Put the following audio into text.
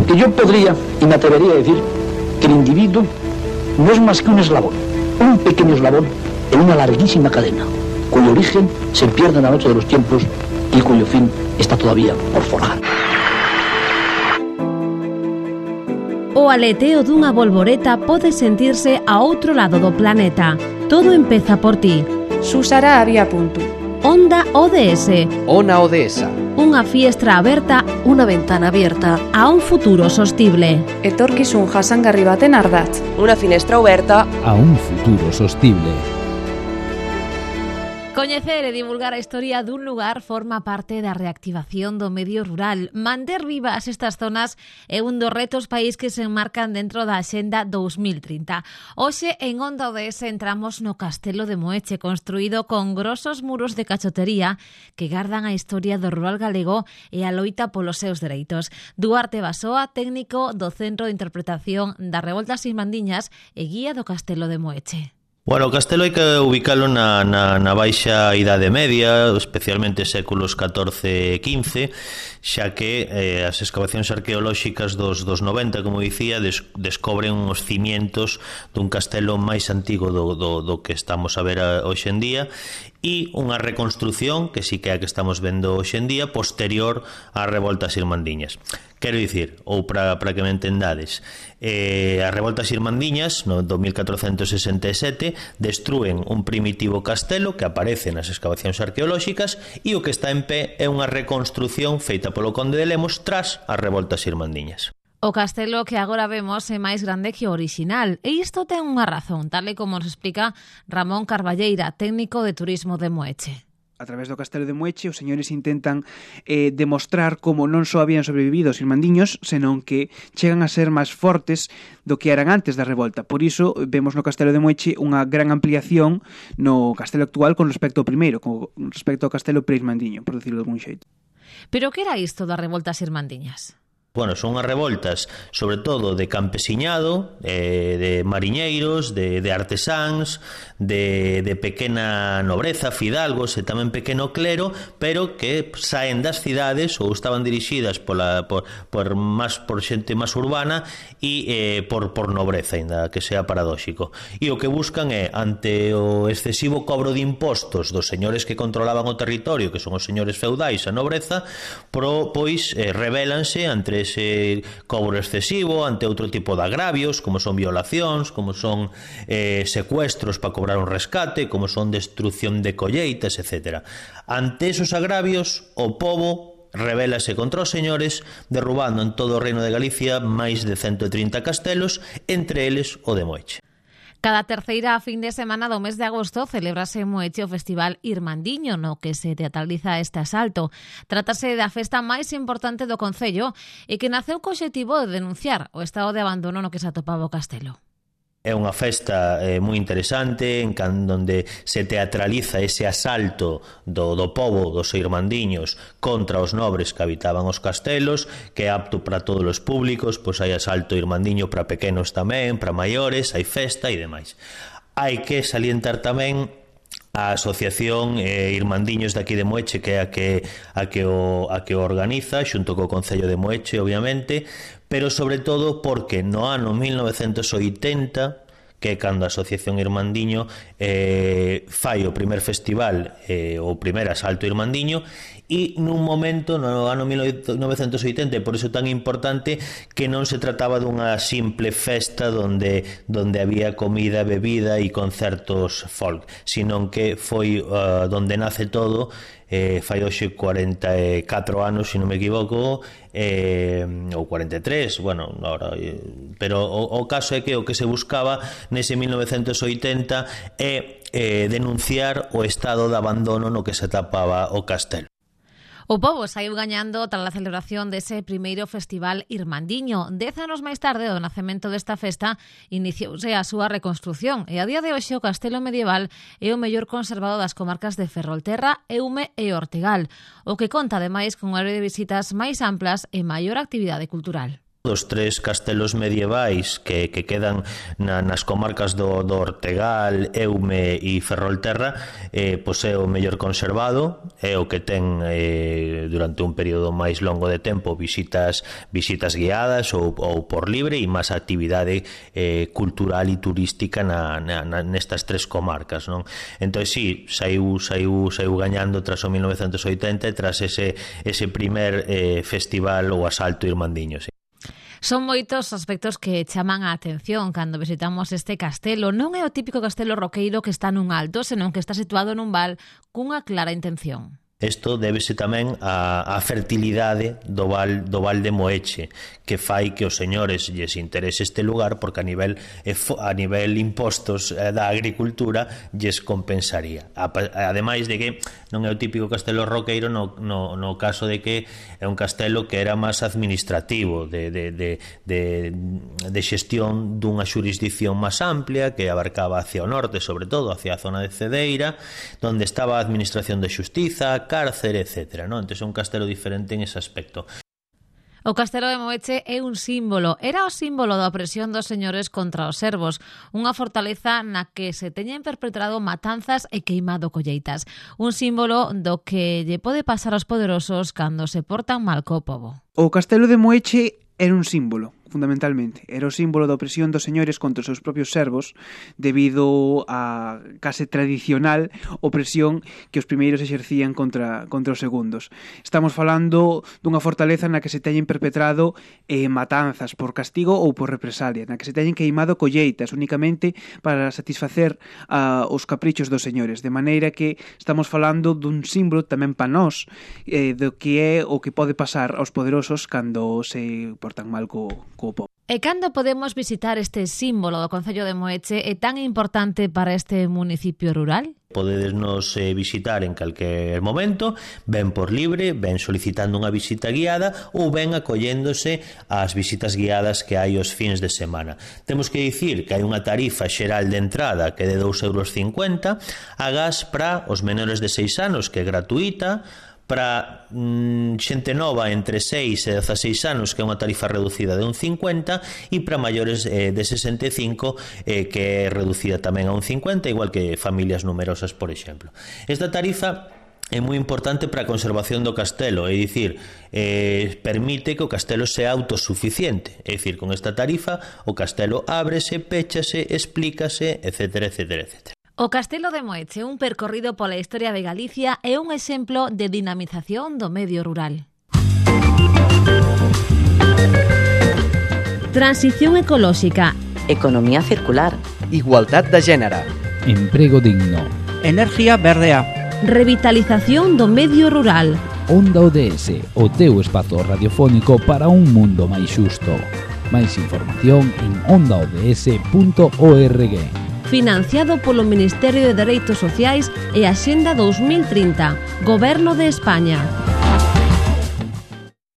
Porque yo podría y me atrevería a decir que el individuo no es más que un eslabón, un pequeño eslabón en una larguísima cadena, cuyo origen se pierde en la noche de los tiempos y cuyo fin está todavía por forjar. O aleteo dunha bolboreta pode sentirse a outro lado do planeta. Todo empeza por ti. Susara había punto. Onda ODS. Ona Odesa. Unha fiestra aberta, unha ventana abierta a un futuro sostible. Etorkizun jasangarri baten ardatz. Unha finestra aberta A un futuro sostible. Coñecer e divulgar a historia dun lugar forma parte da reactivación do medio rural. Manter vivas estas zonas é un dos retos país que se enmarcan dentro da Axenda 2030. Hoxe, en Onda ODS, entramos no Castelo de Moeche, construído con grosos muros de cachotería que gardan a historia do rural galego e a loita polos seus dereitos. Duarte Basoa, técnico do Centro de Interpretación das Revoltas Irmandiñas e guía do Castelo de Moeche. Bueno, o castelo hai que ubicalo na baixa idade media, especialmente séculos XIV e XV, xa que as excavacións arqueolóxicas dos 90, como dicía, descobren os cimientos dun castelo máis antigo do que estamos a ver hoxe en día, e unha reconstrucción, que sí que é a que estamos vendo hoxe en día, posterior ás revoltas irmandiñas. Quero dicir, ou para que me entendades, as revoltas irmandiñas no 1467 destrúen un primitivo castelo que aparece nas excavacións arqueolóxicas, e o que está en pé é unha reconstrucción feita polo conde de Lemos tras as revoltas irmandiñas. O castelo que agora vemos é máis grande que o orixinal, e isto ten unha razón, tal e como nos explica Ramón Carballeira, técnico de turismo de Moeche. A través do Castelo de Moeche, os señores intentan demostrar como non só habían sobrevivido os irmandiños, senón que chegan a ser máis fortes do que eran antes da revolta. Por iso, vemos no Castelo de Moeche unha gran ampliación no castelo actual con respecto ao primeiro, con respecto ao castelo pre-irmandiño, por decirlo de algún xeito. Pero que era isto das revoltas irmandiñas? Bueno, son as revoltas, sobre todo de campesiñado, de mariñeiros, de artesáns, de pequena nobreza, fidalgos e tamén pequeno clero, pero que saen das cidades ou estaban dirixidas por xente máis urbana e por nobreza, ainda que sea paradóxico. E o que buscan é, ante o excesivo cobro de impostos dos señores que controlaban o territorio, que son os señores feudais, a nobreza, pois rebelanse ante ese cobro excesivo, ante outro tipo de agravios, como son violacións, como son secuestros para cobrar un rescate, como son destrucción de colleitas, etc. Ante esos agravios, o pobo rebélase contra os señores, derrubando en todo o reino de Galicia máis de 130 castelos, entre eles o de Moeche. Cada terceira fin de semana do mes de agosto celebrase en Moeche o Festival Irmandiño, no que se teatraliza este asalto. Trátase da festa máis importante do concello e que naceu co obxectivo de denunciar o estado de abandono no que se atopaba o castelo. É unha festa moi interesante en donde se teatraliza ese asalto do pobo dos irmandiños contra os nobres que habitaban os castelos, que é apto para todos os públicos, pois hai asalto irmandiño para pequenos tamén, para maiores, hai festa e demais. Hai que salientar tamén a asociación Irmandiños de aquí de Moeche, que é a que o organiza xunto co Concello de Moeche, obviamente, pero sobre todo porque no ano 1980, que é cando a Asociación Irmandiño fai o primer festival, o primer asalto irmandiño, e nun momento no ano 1980, e por iso tan importante, que non se trataba dunha simple festa donde había comida, bebida e concertos folk, sino que foi donde nace todo. Fai hoxe 44 anos, se non me equivoco, ou 43, bueno, ahora, pero o caso é que o que se buscaba nese 1980 é denunciar o estado de abandono no que se tapaba o castelo. O pobo saiu gañando tras a celebración dese primeiro Festival Irmandiño. 10 anos máis tarde do nacemento desta festa iniciouse a súa reconstrucción e a día de hoxe o castelo medieval é o mellor conservado das comarcas de Ferrolterra, Eume e Ortegal, o que conta ademais con un área de visitas máis amplas e maior actividade cultural. dos 3 castelos medievais que quedan nas comarcas do Ortegal, Eume e Ferrolterra, pois é o mellor conservado, é o que ten durante un período máis longo de tempo visitas guiadas ou por libre e máis actividade cultural e turística nestas 3 comarcas, non? Entón, sí, saiu gañando tras o 1980 e tras ese primer festival ou asalto irmandiño, sí. Son moitos aspectos que chaman a atención cando visitamos este castelo. Non é o típico castelo roqueiro que está nun alto, senón que está situado nun val cunha clara intención. Isto débese tamén á fertilidade do val de Moeche, que fai que os señores lles interese este lugar, porque a nivel impostos da agricultura lles compensaría. Ademais de que non é o típico castelo roqueiro no caso de que é un castelo que era máis administrativo, de xestión dunha xurisdicción máis amplia, que abarcaba hacia o norte, sobre todo hacia a zona de Cedeira, onde estaba a administración de xustiza, cárcere, etc. Entón é un castelo diferente en ese aspecto. O castelo de Moeche é un símbolo. Era o símbolo da opresión dos señores contra os servos, unha fortaleza na que se teñen perpetrado matanzas e queimado colleitas. Un símbolo do que lle pode pasar aos poderosos cando se portan mal co pobo. O castelo de Moeche era un símbolo, fundamentalmente. Era o símbolo da opresión dos señores contra os seus propios servos debido á case tradicional opresión que os primeiros exercían contra os segundos. Estamos falando dunha fortaleza na que se teñen perpetrado matanzas por castigo ou por represalia, na que se teñen queimado colleitas únicamente para satisfacer os caprichos dos señores, de maneira que estamos falando dun símbolo tamén pa nós do que é o que pode pasar aos poderosos cando se portan mal co pobo. E cando podemos visitar este símbolo do concello de Moeche é tan importante para este municipio rural? Podedesnos visitar en calquer momento, ben por libre, ben solicitando unha visita guiada ou ben acolléndose ás visitas guiadas que hai os fins de semana. Temos que dicir que hai unha tarifa xeral de entrada que é de 2,50 €, agás para os menores de 6 anos, que é gratuita, para xente nova entre 6 e 16 anos, que é unha tarifa reducida de 1,50, e para maiores de 65, que é reducida tamén a 1,50, igual que familias numerosas, por exemplo. Esta tarifa é moi importante para a conservación do castelo, é dicir, permite que o castelo sea autosuficiente, é dicir, con esta tarifa o castelo ábrese, péchase, explícase, etc, etc, etc. O Castelo de Moeche, un percorrido pola historia de Galicia, é un exemplo de dinamización do medio rural. Transición ecolóxica. Economía circular. Igualdad de género. Emprego digno. Energía verdea. Revitalización do medio rural. Onda ODS, o teu espazo radiofónico para un mundo máis xusto. Máis información en ondaods.org. Financiado polo Ministerio de Dereitos Sociais e Axenda 2030, Goberno de España.